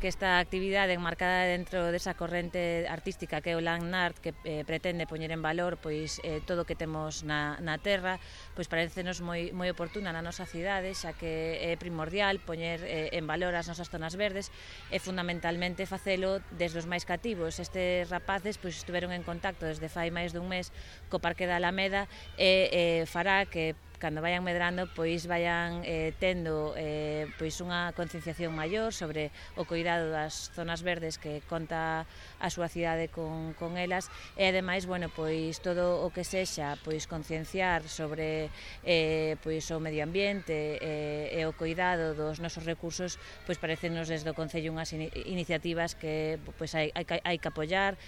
que esta actividade enmarcada dentro desa corrente artística que é o Land Art, que pretende poñer en valor pois todo o que temos na terra, pois parecenos moi oportuna na nosa cidade, xa que é primordial poñer en valor as nosas zonas verdes e fundamentalmente facelo desde os máis cativos. Estes rapaces pois estiveron en contacto desde fai máis dun mes co Parque da Alameda e fará que cando vayan medrando pois vayan tendo pois unha concienciación maior sobre o cuidado das zonas verdes que conta a súa cidade con elas e ademais, bueno, pois todo o que sexa pois concienciar sobre pois o medio ambiente e o cuidado dos nosos recursos, pois parecenos desde o Concello unhas iniciativas que pois hai que apoiar